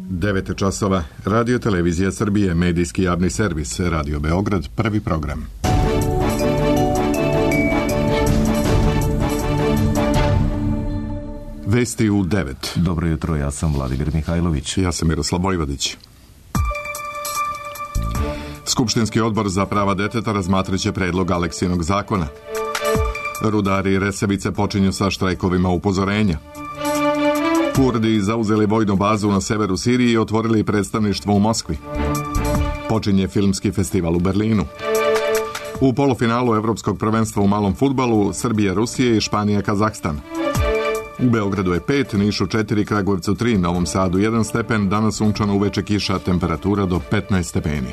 9 časova. Radio Televizija Srbije, medijski javni servis, Radio Beograd, prvi program. Vesti u 9. Dobro jutro, ja sam Vladimir Mihajlović. Ja sam Miroslav Vojvodić. Skupštinski odbor za prava deteta razmatraće predlog Aleksinog zakona. Rudari i Resavice počinju sa štrajkovima upozorenja. Kurdi zauzeli vojnu bazu na severu Sirije i otvorili predstavništvo u Moskvi. Počinje filmski festival u Berlinu. U polufinalu Evropskog prvenstva u malom fudbalu Srbija, Rusija i Španija, Kazahstan. U Beogradu je 5, Nišu 4, Kragujevcu 3, Novom Sadu 1 stepen, danas sunčano, uveče kiša, temperatura do 15 stepeni.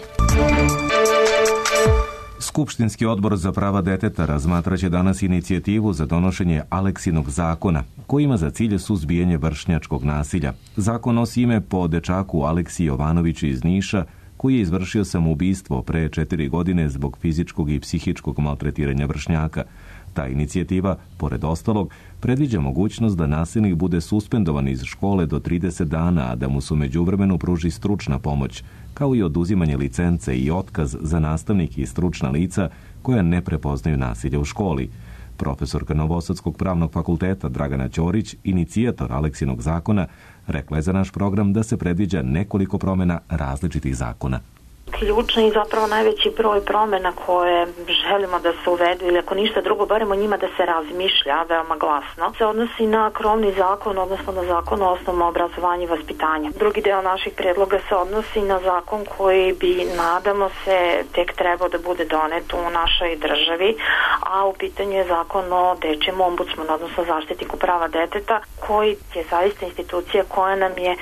Skupštinski odbor za prava deteta razmatraće danas inicijativu za donošenje Aleksinog zakona, koji ima za cilj suzbijanje vršnjačkog nasilja. Zakon nosi ime po dečaku Aleksiji Jovanoviću iz Niša, koji je izvršio samoubistvo pre 4 godine zbog fizičkog i psihičkog maltretiranja vršnjaka. Ta inicijativa, pored ostalog, predviđa mogućnost da nasilnik bude suspendovan iz škole do 30 dana, a da mu se u međuvremenu pruži stručna pomoć, kao i oduzimanje licence i otkaz za nastavnike i stručna lica koja ne prepoznaju nasilje u školi. Profesorka Novosadskog pravnog fakulteta Dragana Ćorić, inicijator Aleksinog zakona, rekla je za naš program da se predviđa nekoliko promjena različitih zakona. Ključni i zapravo najveći broj promjena koje želimo da se uvedu, ili ako ništa drugo, barem o njima da se razmišlja veoma glasno, se odnosi na krovni zakon, odnosno na zakon o osnovnom obrazovanju i vaspitanju. Drugi deo naših predloga se odnosi na zakon koji bi, nadamo se, tek trebao da bude donet u našoj državi, a u pitanju je zakon o dečijem ombudsmanu, odnosno zaštitniku prava deteta, koji je zaista institucija koja nam je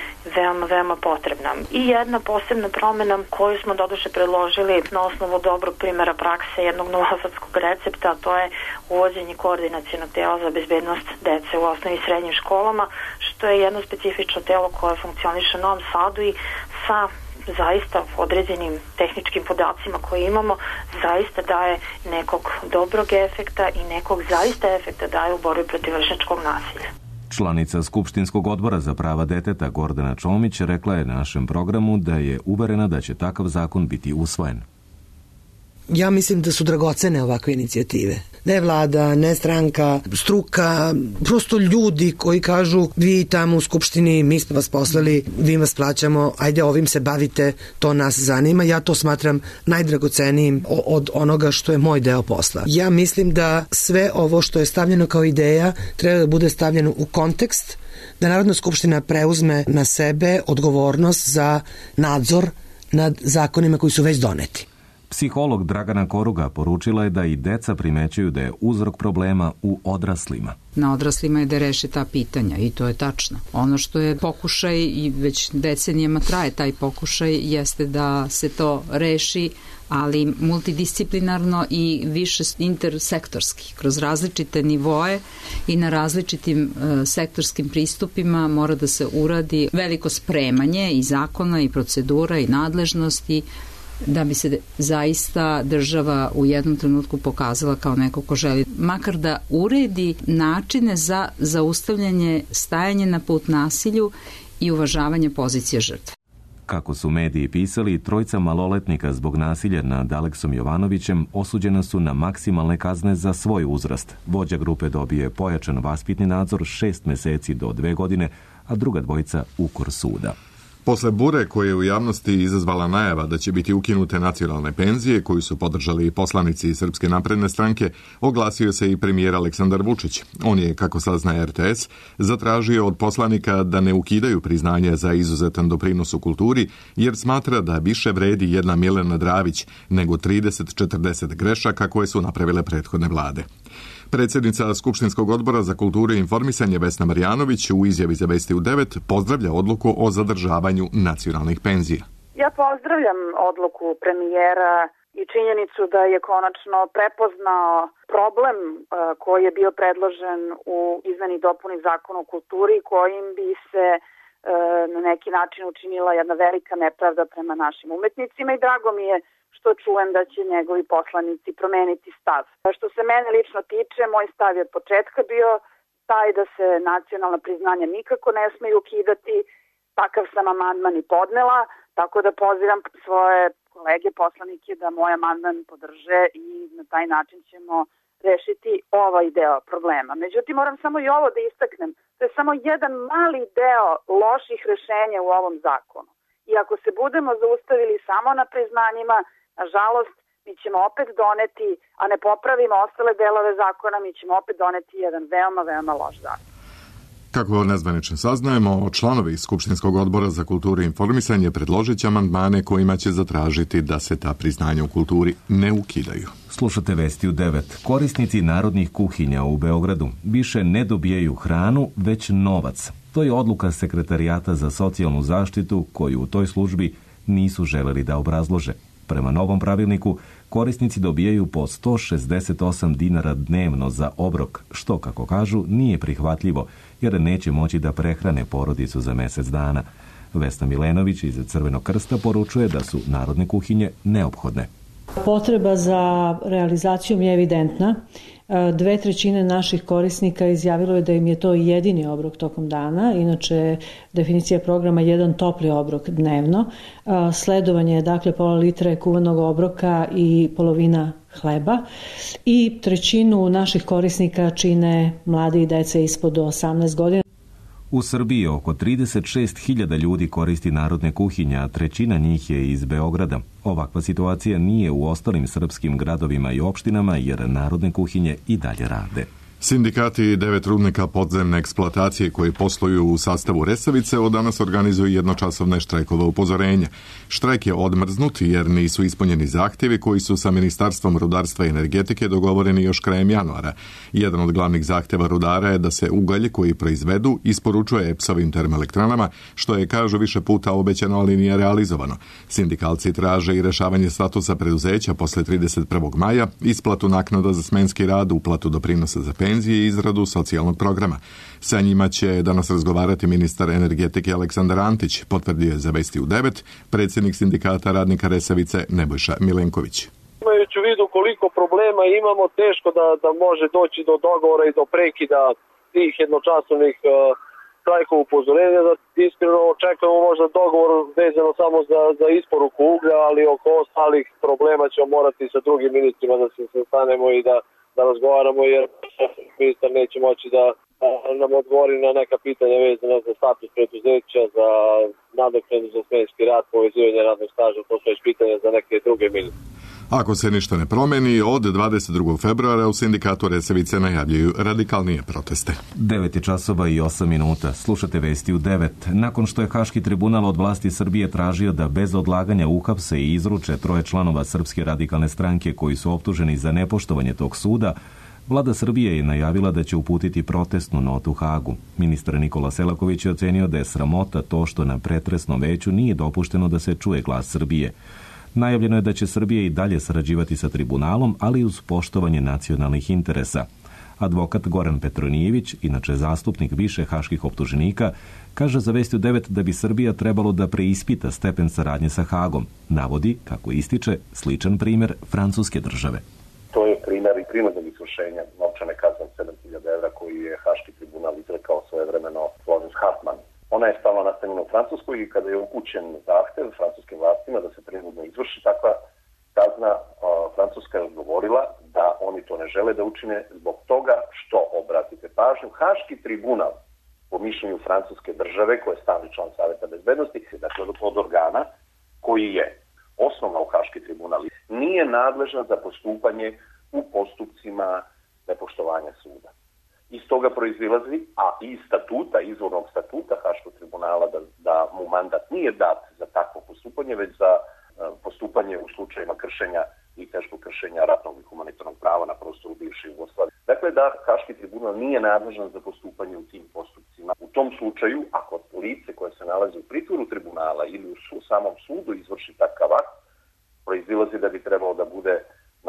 veoma potrebna. I jedna posebna promjena koju smo doduše predložili na osnovu dobrog primjera prakse jednog novosadskog recepta, a to je uvođenje koordinacionog tela za bezbednost dece u osnovnim i srednjim školama, što je jedno specifično telo koje funkcioniše u Novom Sadu i sa zaista određenim tehničkim podacima koje imamo zaista daje nekog dobrog efekta i nekog zaista efekta daje u borbi protiv vršnjačkog nasilja. Članica Skupštinskog odbora za prava deteta Gordana Čomić rekla je našem programu da je uverena da će takav zakon biti usvojen. Ja mislim da su dragocene ovakve inicijative. Ne vlada, ne stranka, struka, prosto ljudi koji kažu vi tamo u Skupštini, mi smo vas poslali, vi vas plaćamo, ajde ovim se bavite, to nas zanima. Ja to smatram najdragocenijim od onoga što je moj deo posla. Ja mislim da sve ovo što je stavljeno kao ideja treba da bude stavljeno u kontekst, da Narodna skupština preuzme na sebe odgovornost za nadzor nad zakonima koji su već doneti. Psiholog Dragana Koruga poručila je da i deca primećuju da je uzrok problema u odraslima. Na odraslima je da reše ta pitanja i to je tačno. Ono što je pokušaj i već decenijama traje taj pokušaj jeste da se to reši, ali multidisciplinarno i više intersektorski. Kroz različite nivoe i na različitim sektorskim pristupima mora da se uradi veliko spremanje i zakona i procedura i nadležnosti da bi se zaista država u jednom trenutku pokazala kao neko ko želi makar da uredi načine za zaustavljanje stajanje na put nasilju i uvažavanje pozicije žrtve. Kako su mediji pisali, 3 maloletnika zbog nasilja nad Aleksom Jovanovićem osuđena su na maksimalne kazne za svoj uzrast. Vođa grupe dobije pojačan vaspitni nadzor 6 meseci do 2 godine, a druga dvojica ukor suda. Posle bure koje je u javnosti izazvala najava da će biti ukinute nacionalne penzije, koju su podržali i poslanici iz Srpske napredne stranke, oglasio se i premijer Aleksandar Vučić. On je, kako saznaje RTS, zatražio od poslanika da ne ukidaju priznanje za izuzetan doprinos u kulturi, jer smatra da više vredi jedna Milena Dravić nego 30-40 grešaka koje su napravile prethodne vlade. Predsjednica Skupštinskog odbora za kulturu i informisanje Vesna Marjanović u izjavi za Vesti u 9 pozdravlja odluku o zadržavanju nacionalnih penzija. Ja pozdravljam odluku premijera i činjenicu da je konačno prepoznao problem koji je bio predložen u izmeni i dopuni Zakona o kulturi, kojim bi se na neki način učinila jedna velika nepravda prema našim umetnicima i drago mi je što čujem da će njegovi poslanici promeniti stav. Što se mene lično tiče, moj stav je od početka bio taj da se nacionalna priznanja nikako ne smeju ukidati Takav sam amandman i podnela, tako da pozivam svoje kolege poslanike da moj amandman podrže i na taj način ćemo rešiti ovaj deo problema. Međutim, moram samo i ovo da istaknem. To je samo jedan mali deo loših rešenja u ovom zakonu. I ako se budemo zaustavili samo na priznanjima, nažalost, mi ćemo opet doneti, a ne popravimo ostale delove zakona, mi ćemo opet doneti jedan veoma, veoma loš zakon. Kako nezvanično saznajemo, članovi Skupštinskog odbora za kulturu i informisanje predložit će amandmane kojima će zatražiti da se ta priznanja u kulturi ne ukidaju. Slušate Vesti u 9. Korisnici narodnih kuhinja u Beogradu više ne dobijaju hranu, već novac. To je odluka Sekretarijata za socijalnu zaštitu koju u toj službi nisu želeli da obrazlože. Prema novom pravilniku, korisnici dobijaju po 168 dinara dnevno za obrok, što, kako kažu, nije prihvatljivo, jer neće moći da prehrane porodicu za mesec dana. Vesna Milenović iz Crvenog krsta poručuje da su narodne kuhinje neophodne. Potreba za realizacijom je evidentna. 2/3 naših korisnika izjavilo je da im je to jedini obrok tokom dana. Inače, definicija programa je jedan topli obrok dnevno. Sledovanje je dakle pola litre kuvanog obroka i polovina hleba. I 1/3 naših korisnika čine mladi i dece ispod 18 godina. U Srbiji oko 36.000 ljudi koristi narodne kuhinje, a 1/3 njih je iz Beograda. Ovakva situacija nije u ostalim srpskim gradovima i opštinama, jer narodne kuhinje i dalje rade. Sindikati 9 rudnika podzemne eksploatacije koji posluju u sastavu Resavice od danas organizuju jednočasovne štrajkove upozorenja. Štrajk je odmrznut jer nisu ispunjeni zahtjevi koji su sa Ministarstvom rudarstva i energetike dogovoreni još krajem januara. Jedan od glavnih zahtjeva rudara je da se ugalj koji proizvedu isporučuje EPS-ovim termoelektranama, što je, kažu, više puta obećano, ali nije realizovano. Sindikalci traže i rešavanje statusa preduzeća posle 31. maja, isplatu naknada za smenski rad, uplatu doprinosa za penzije i izradu socijalnog programa. Sa njima će danas razgovarati ministar energetike Aleksandar Antić, potvrdio je za Vesti u 9 predsjednik sindikata radnika Resavice Nebojša Milenković. Imajući u vidu koliko problema imamo, teško da može doći do dogovora i do prekida tih jednočasovnih štrajkova upozorenja. Iskreno očekujemo možda dogovor vezano samo za isporuku uglja, ali oko ostalih problema ćemo morati sa drugim ministrima da se sastanemo i da razgovaramo, jer ministar neće moći da nam odgovori na neka pitanja vezana za status preduzeća, za nadoknadu za smenski rad, povezivanje radnog staža, to su već pitanja za neke druge ministre. Ako se ništa ne promeni, od 22. februara u sindikatu Resavice najavljuju radikalnije proteste. 9:08. Slušate Vesti u 9. Nakon što je Haški tribunal od vlasti Srbije tražio da bez odlaganja uhapse i izruče 3 članova Srpske radikalne stranke koji su optuženi za nepoštovanje tog suda, Vlada Srbije je najavila da će uputiti protestnu notu Hagu. Ministar Nikola Selaković je ocenio da je sramota to što na pretresnom veću nije dopušteno da se čuje glas Srbije. Najavljeno je da će Srbija i dalje sarađivati sa tribunalom, ali uz poštovanje nacionalnih interesa. Advokat Goran Petronijević, inače zastupnik više haških optuženika, kaže za Vesti u 9 da bi Srbija trebalo da preispita stepen saradnje sa Hagom. Navodi, kako ističe, sličan primjer francuske države. To je primjer i prinudnog izvršenja novčane kazne 7.000 evra koju je Haški tribunal izrekao svojevremeno Florence Hartmann. Ona je stalno nastanjena u Francuskoj i kada je upućen zahtev francuskim vlastima da se prinudno izvrši takva kazna, Francuska je odgovorila da oni to ne žele da učine zbog toga što, obratite pažnju, Haški tribunal, po mišljenju francuske države, koja je stalni član Saveta bezbednosti, dakle od organa koji je osnovno u Haški tribunal, nije nadležan za postupanje u postupcima nepoštovanja suda. Iz toga proizilazi, a iz statuta, izvornog statuta Haškog tribunala, da mu mandat nije dat za takvo postupanje, već za postupanje u slučajima kršenja i teškog kršenja ratnog i humanitarnog prava na prostoru bivše Jugoslavije. Dakle, da Haški tribunal nije nadležan za postupanje u tim postupcima. U tom slučaju, ako lice koje se nalazi u pritvoru tribunala ili u samom sudu izvrši takav akt, proizilazi da bi trebalo da bude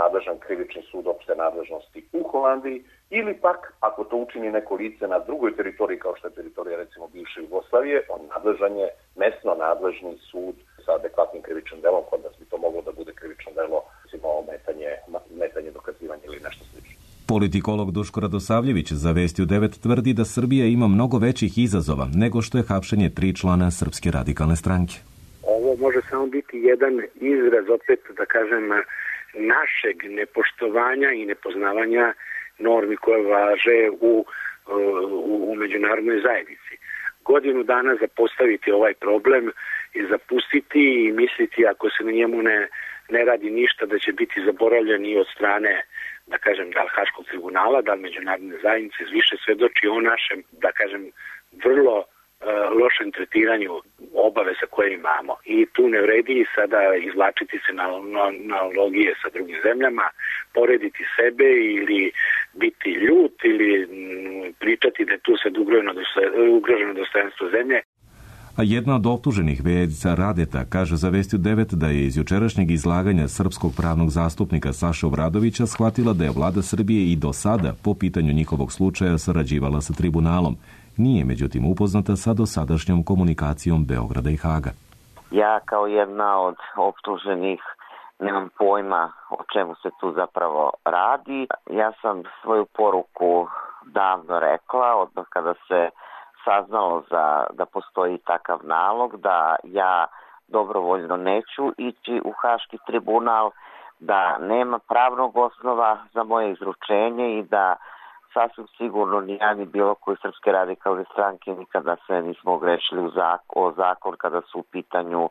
nadležan krivični sud opšte nadležnosti u Holandiji, ili pak, ako to učini neko lice na drugoj teritoriji, kao što je teritorija recimo bivše Jugoslavije, on nadležan je mesno nadležni sud sa adekvatnim krivičnim delom, kod nas bi to moglo da bude krivično delo, recimo metanje dokazivanja ili nešto slično. Politikolog Duško Radosavljević za Vesti u 9 tvrdi da Srbija ima mnogo većih izazova nego što je hapšenje 3 člana Srpske radikalne stranke. Ovo može samo biti jedan izraz, opet da kažem, našeg nepoštovanja i nepoznavanja normi koje važe u međunarodnoj zajednici. Godinu dana zapostaviti ovaj problem i zapustiti i misliti ako se na njemu ne radi ništa da će biti zaboravljen i od strane, da kažem, da li Haškog tribunala, da li međunarodne zajednice, više svedoči o našem, da kažem, vrlo lošem tretiranju obaveza koje imamo. I tu ne vredi sada izvlačiti se na analogije sa drugim zemljama, porediti sebe ili biti ljut ili pričati da je tu sad ugroženo dostojanstvo zemlje. A jedna od optuženih, Verica Radeta, kaže za Vesti u 9 da je iz jučerašnjeg izlaganja srpskog pravnog zastupnika Saše Obradovića shvatila da je vlada Srbije i do sada po pitanju njihovog slučaja sarađivala sa tribunalom. Nije, međutim, upoznata sa dosadašnjom komunikacijom Beograda i Haga. Ja kao jedna od optuženih nemam pojma o čemu se tu zapravo radi. Ja sam svoju poruku davno rekla, odmah kada se saznalo da postoji takav nalog, da ja dobrovoljno neću ići u Haški tribunal, da nema pravnog osnova za moje izručenje i da sasvim sigurno ni ja ni bilo koji Srpske radikalne stranke nikada se nismo ogrešili o zakon kada su u pitanju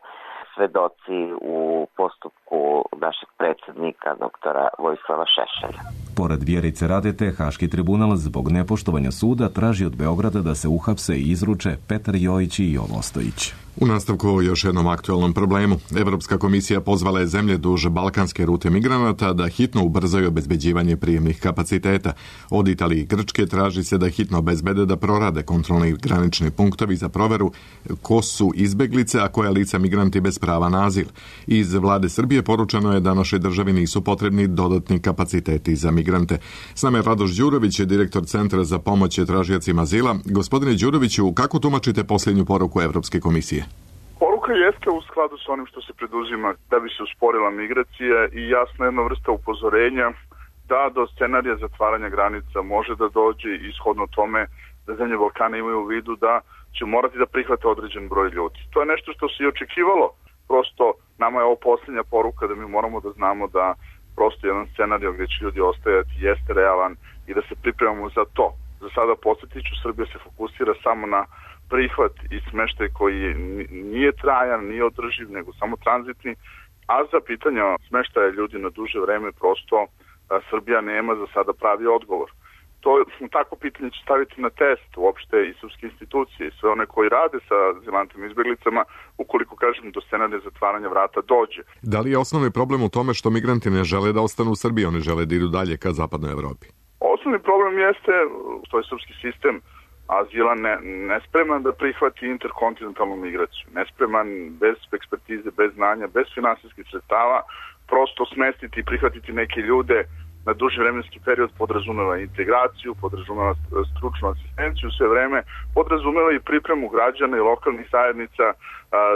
svedoci u postupku našeg predsjednika doktora Vojislava Šešelja. Pored Vjerice Radete, Haški tribunal zbog nepoštovanja suda traži od Beograda da se uhapse i izruče Petar Jojić i Jovo Ostojić. U nastavku o još jednom aktualnom problemu. Evropska komisija pozvala je zemlje duž balkanske rute migranata da hitno ubrzaju obezbeđivanje prijemnih kapaciteta. Od Italije i Grčke traži se da hitno obezbede da prorade kontrolni granični punktovi za proveru ko su izbeglice, a koja lica migranti bez prava na azil. Iz vlade Srbije poručeno je da našoj državi nisu potrebni dodatni kapaciteti za migrante. S nama je Radoš Đurović, direktor Centra za pomoć tražiocima azila. Gospodine Đuroviću, kako tumačite posljednju poruku Evropske komisije? Poruka jeste u skladu s onim što se preduzima da bi se usporila migracija i jasna jedna vrsta upozorenja da do scenarija zatvaranja granica može da dođe ishodno tome da zemlje Balkana imaju u vidu da će morati da prihvate određen broj ljudi. To je nešto što se i očekivalo. Prosto nama je ovo posljednja poruka da mi moramo da znamo da prosto jedan scenarij gdje će ljudi ostajati jeste realan i da se pripremamo za to. Za sada podsjetiću, Srbija se fokusira samo na prihvat i smeštaj koji nije trajan, nije održiv, nego samo tranzitni, a za pitanja smeštaja ljudi na duže vreme prosto Srbija nema za sada pravi odgovor. Tako pitanje će staviti na test uopšte i srpske institucije i sve one koji rade sa azilantima i izbjeglicama ukoliko, kažem, do scenarija zatvaranja vrata dođe. Da li je osnovni problem u tome što migranti ne žele da ostanu u Srbiji, oni žele da idu dalje ka zapadnoj Evropi? Osnovni problem jeste što je srpski sistem azila nespreman da prihvati interkontinentalnu migraciju. Nespreman, bez ekspertize, bez znanja, bez finansijskih sredstava, prosto smestiti i prihvatiti neke ljude na duži vremenski period podrazumeva integraciju, podrazumeva stručnu asistenciju sve vreme, podrazumeva i pripremu građana i lokalnih zajednica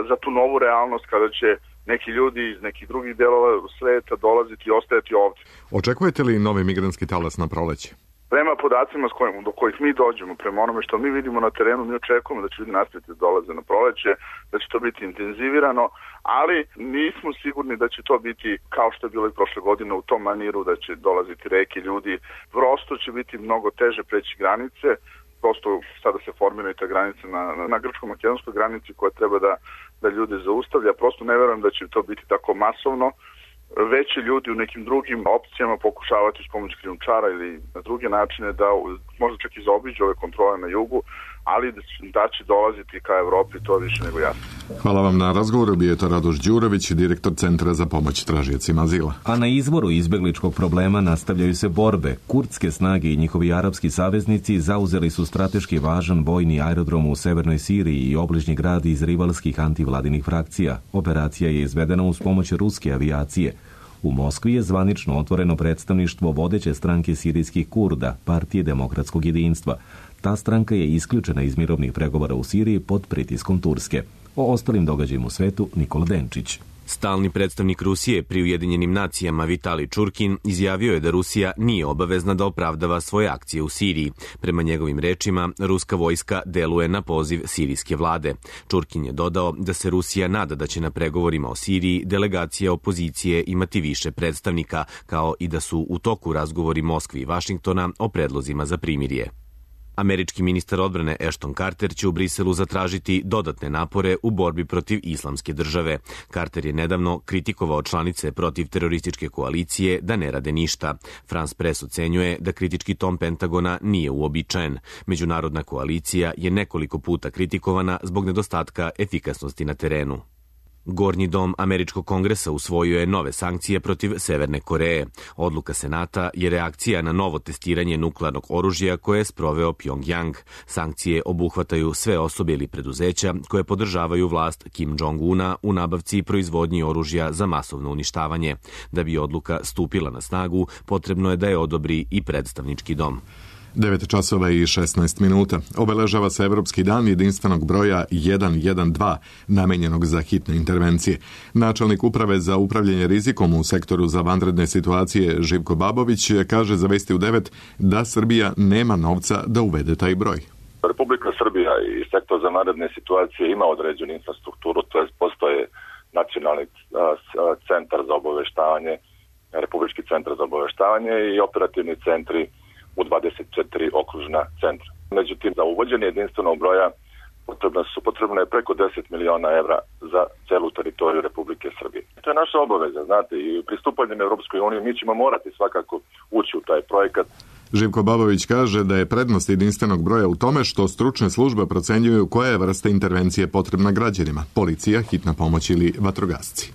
za tu novu realnost kada će neki ljudi iz nekih drugih delova sveta dolaziti i ostajati ovdje. Očekujete li novi migrantski talas na proleće? Prema podacima do kojih mi dođemo, prema onome što mi vidimo na terenu, mi očekujemo da će ljudi nastaviti da dolaze na proleće, da će to biti intenzivirano, ali nismo sigurni da će to biti kao što je bilo i prošle godine u tom maniru, da će dolaziti reke ljudi. Prosto će biti mnogo teže preći granice, prosto sada se formira i ta granica na grčko-makedonskoj granici koja treba da ljude zaustavlja. Prosto ne verujem da će to biti tako masovno. Već će ljudi u nekim drugim opcijama pokušavati s pomoć krijumčara ili na druge načine da možda čak i zaobiđu ove kontrole na jugu, ali da će dolaziti ka Evropi, to više nego jasno. Hvala vam na razgovoru, bio je to Radoš Đurović, direktor Centra za pomoć tražiocima azila. A na izvoru izbegličkog problema nastavljaju se borbe. Kurdske snage i njihovi arapski saveznici zauzeli su strateški važan vojni aerodrom u severnoj Siriji i obližnji grad iz rivalskih antivladinih frakcija. Operacija je izvedena uz pomoć ruske avijacije. U Moskvi je zvanično otvoreno predstavništvo vodeće stranke sirijskih Kurda, Partije demokratskog jedinstva. Ta stranka je isključena iz mirovnih pregovora u Siriji pod pritiskom Turske. O ostalim događajima u svetu Nikola Denčić. Stalni predstavnik Rusije pri Ujedinjenim nacijama Vitali Čurkin izjavio je da Rusija nije obavezna da opravdava svoje akcije u Siriji. Prema njegovim rečima, ruska vojska deluje na poziv sirijske vlade. Čurkin je dodao da se Rusija nada da će na pregovorima o Siriji delegacija opozicije imati više predstavnika, kao i da su u toku razgovori Moskve i Vašingtona o predlozima za primirje. Američki ministar odbrane Ashton Carter će u Briselu zatražiti dodatne napore u borbi protiv islamske države. Carter je nedavno kritikovao članice protiv terorističke koalicije da ne rade ništa. France Press ocenjuje da kritički ton Pentagona nije uobičajen. Međunarodna koalicija je nekoliko puta kritikovana zbog nedostatka efikasnosti na terenu. Gornji dom Američkog kongresa usvojio je nove sankcije protiv Severne Koreje. Odluka Senata je reakcija na novo testiranje nuklearnog oružja koje je sproveo Pyongyang. Sankcije obuhvataju sve osobe ili preduzeća koje podržavaju vlast Kim Jong-una u nabavci i proizvodnji oružja za masovno uništavanje. Da bi odluka stupila na snagu, potrebno je da je odobri i predstavnički dom. 9 časova i 16 minuta. Obeležava se Evropski dan jedinstvenog broja 112, namenjenog za hitne intervencije. Načelnik uprave za upravljanje rizikom u sektoru za vanredne situacije Živko Babović kaže za Vesti u 9 da Srbija nema novca da uvede taj broj. Republika Srbija i sektor za vanredne situacije ima određenu infrastrukturu, to je postoje nacionalni centar za obaveštavanje, Republički centar za obaveštavanje i operativni centri u 24 okružna centra. Međutim, za uvođenje jedinstvenog broja potrebno je preko 10 miliona evra za celu teritoriju Republike Srbije. To je naša obaveza, znate, i pristupanjem Evropskoj uniji mi ćemo morati svakako ući u taj projekat. Živko Babović kaže da je prednost jedinstvenog broja u tome što stručne službe procenjuju koja je vrsta intervencije potrebna građanima, policija, hitna pomoć ili vatrogasci.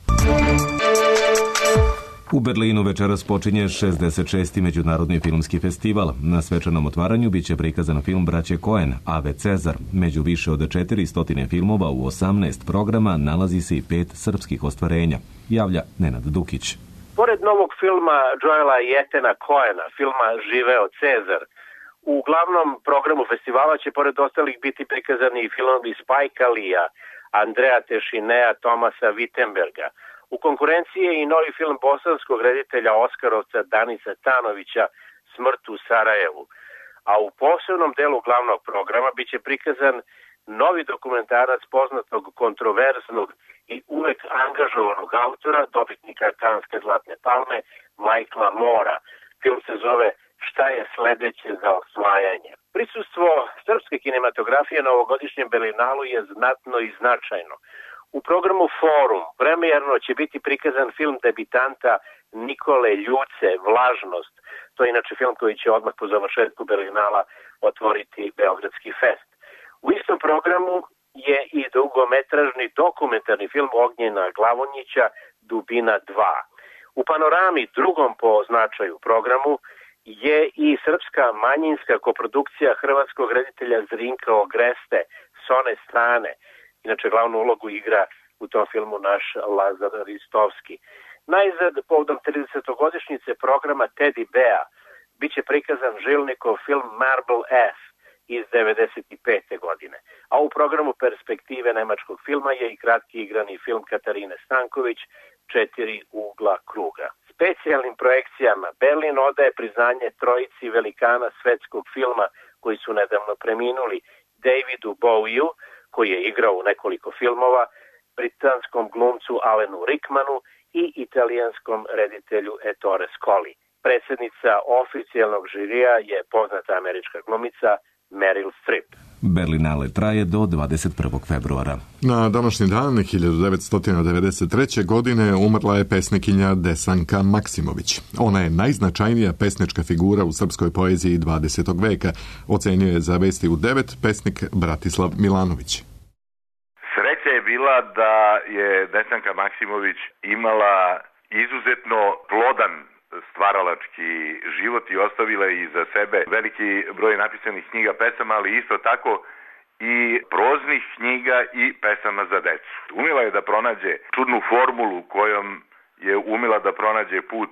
U Berlinu večeras počinje 66. Međunarodni filmski festival. Na svečanom otvaranju biće prikazan film Braće Coen, Ave Cezar. Među više od 400 filmova u 18 programa nalazi se i 5 srpskih ostvarenja, javlja Nenad Dukić. Pored novog filma Joela i Etena Coena, filma Živeo Cezar, u glavnom programu festivala će pored ostalih biti prikazani i filmovi Spike Leea, Andrea Tešinea, Tomasa Wittenberga. U konkurenciji je i novi film bosanskog reditelja Oskarovca Danisa Tanovića Smrt u Sarajevu. A u posebnom delu glavnog programa biće prikazan novi dokumentarac poznatog kontroverznog i uvek angažovanog autora, dobitnika Kanske zlatne palme, Michaela Moora. Film se zove Šta je sledeće za osvajanje. Prisustvo srpske kinematografije na ovogodišnjem Berlinalu je znatno i značajno. U programu Forum premijerno će biti prikazan film debitanta Nikole Ljuce, Vlažnost. To je inače film koji će odmah po završetku Berlinala otvoriti Beogradski fest. U istom programu je i dugometražni dokumentarni film Ognjena Glavonjića Dubina 2. U Panorami, drugom po značaju programu, je i srpska manjinska koprodukcija hrvatskog reditelja Zrinka Ogreste S one strane. Inače, glavnu ulogu igra u tom filmu naš Lazar Ristovski. Najzad, povodom 30-godišnjice programa Teddy Bea, bit će prikazan Žilnikov film Marble S iz 95. godine. A u programu Perspektive nemačkog filma je i kratki igrani film Katarine Stanković 4 ugla kruga. Specijalnim projekcijama Berlin odaje priznanje trojici velikana svetskog filma koji su nedavno preminuli, Davidu Bowieu, koji je igrao u nekoliko filmova, britanskom glumcu Alanu Rickmanu i italijanskom reditelju Ettore Scoli. Predsjednica oficijalnog žirija je poznata američka glumica Meryl Streep. Berlinale traje do 21. februara. Na današnji dan 1993. godine umrla je pesnikinja Desanka Maksimović. Ona je najznačajnija pesnička figura u srpskoj poeziji 20. veka, ocenio je za Vesti u 9 pesnik Bratislav Milanović. Sreća je bila da je Desanka Maksimović imala izuzetno plodan stvaralački život i ostavila iza sebe veliki broj napisanih knjiga, pesama, ali isto tako i proznih knjiga i pesama za decu. Umela je da pronađe čudnu formulu kojom je umela da pronađe put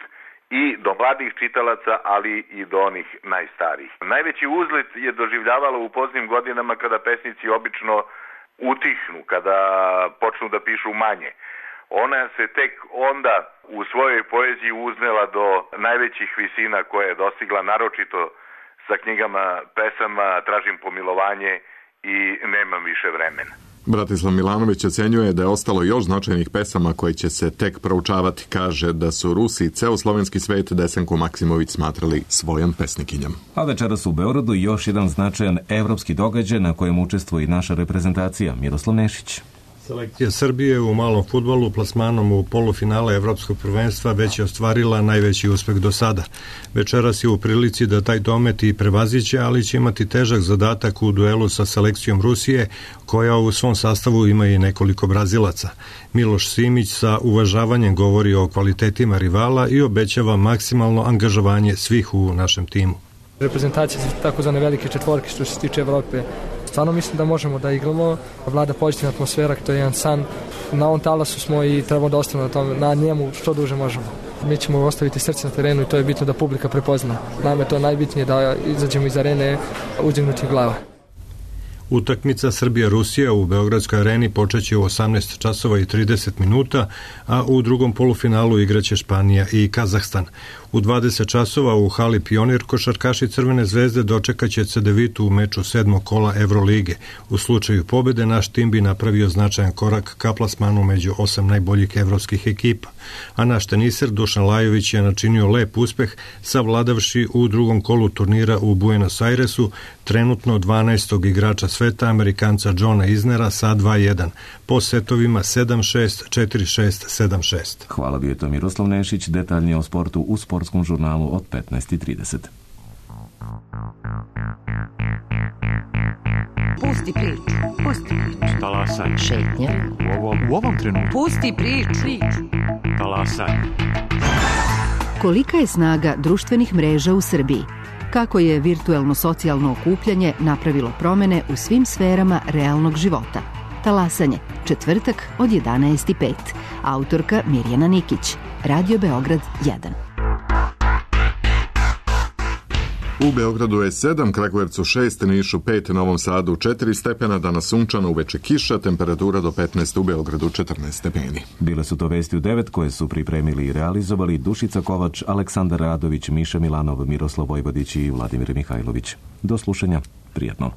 i do mladih čitalaca, ali i do onih najstarijih. Najveći uzlet je doživljavala u poznim godinama kada pesnici obično utihnu, kada počnu da pišu manje. ona se tek onda u svojoj poeziji uznela do najvećih visina koje je dostigla, naročito sa knjigama pesama Tražim pomilovanje i Nemam više vremena. Bratislav Milanović ocenjuje da je ostalo još značajnih pesama koje će se tek proučavati. Kaže da su Rusi i ceo slovenski svet Desanku Maksimović smatrali svojom pesnikinjom. A večeras u Beogradu još jedan značajan evropski događaj na kojem učestvuje i naša reprezentacija. Miroslav Nešić. Selekcija Srbije u malom fudbalu plasmanom u polufinale Evropskog prvenstva već je ostvarila najveći uspeh do sada. Večeras je u prilici da taj domet i prevaziće, ali će imati težak zadatak u duelu sa selekcijom Rusije, koja u svom sastavu ima i nekoliko Brazilaca. Miloš Simić sa uvažavanjem govori o kvalitetima rivala i obećava maksimalno angažovanje svih u našem timu. Reprezentacija su takozvane velike četvorke što se tiče Evrope. Stvarno mislim da možemo da igramo, vlada pozitivna atmosfera, to je jedan san. Na ovom talasu smo i trebamo da ostavimo na njemu što duže možemo. Mi ćemo ostaviti srce na terenu i to je bitno da publika prepozna. Nama je to najbitnije da izađemo iz arene uzdignutih glava. Utakmica Srbija-Rusija u Beogradskoj areni počeće u 18 časova i 30 minuta, a u drugom polufinalu igraće Španija i Kazahstan. U 20 časova u hali Pionir košarkaši Crvene zvezde dočekaće Cedevitu u meču 7. kola Evrolige. U slučaju pobede naš tim bi napravio značajan korak ka plasmanu među 8 najboljih evropskih ekipa. A naš teniser Dušan Lajović je načinio lep uspeh savladavši u drugom kolu turnira u Buenos Airesu trenutno 12. igrača sveta, Amerikanca Johna Isnera sa 2-1, po setovima 7-6, 4-6, 7-6. Hvala, bio je to Miroslav Nešić, detaljnije o sportu u sportskom žurnalu od 15:30. Pusti priču, pusti priču. Talasaj. Šetnja. U ovom trenutku. Pusti priču. Talasaj. Kolika je snaga društvenih mreža u Srbiji? Kako je virtuelno socijalno okupljanje napravilo promene u svim sferama realnog života? Talasanje, četvrtak od 11:05. Autorka Mirjana Nikić. Radio Beograd 1. U Beogradu je 7, Kragujevcu 6, Nišu 5, Novom Sadu 4 stepena, danas sunčano, uveče kiša, temperatura do 15, u Beogradu 14 stepeni. Bile su to vesti u 9 koje su pripremili i realizovali Dušica Kovač, Aleksandar Radović, Miša Milanov, Miroslav Vojvodić i Vladimir Mihajlović. Do slušanja, prijatno.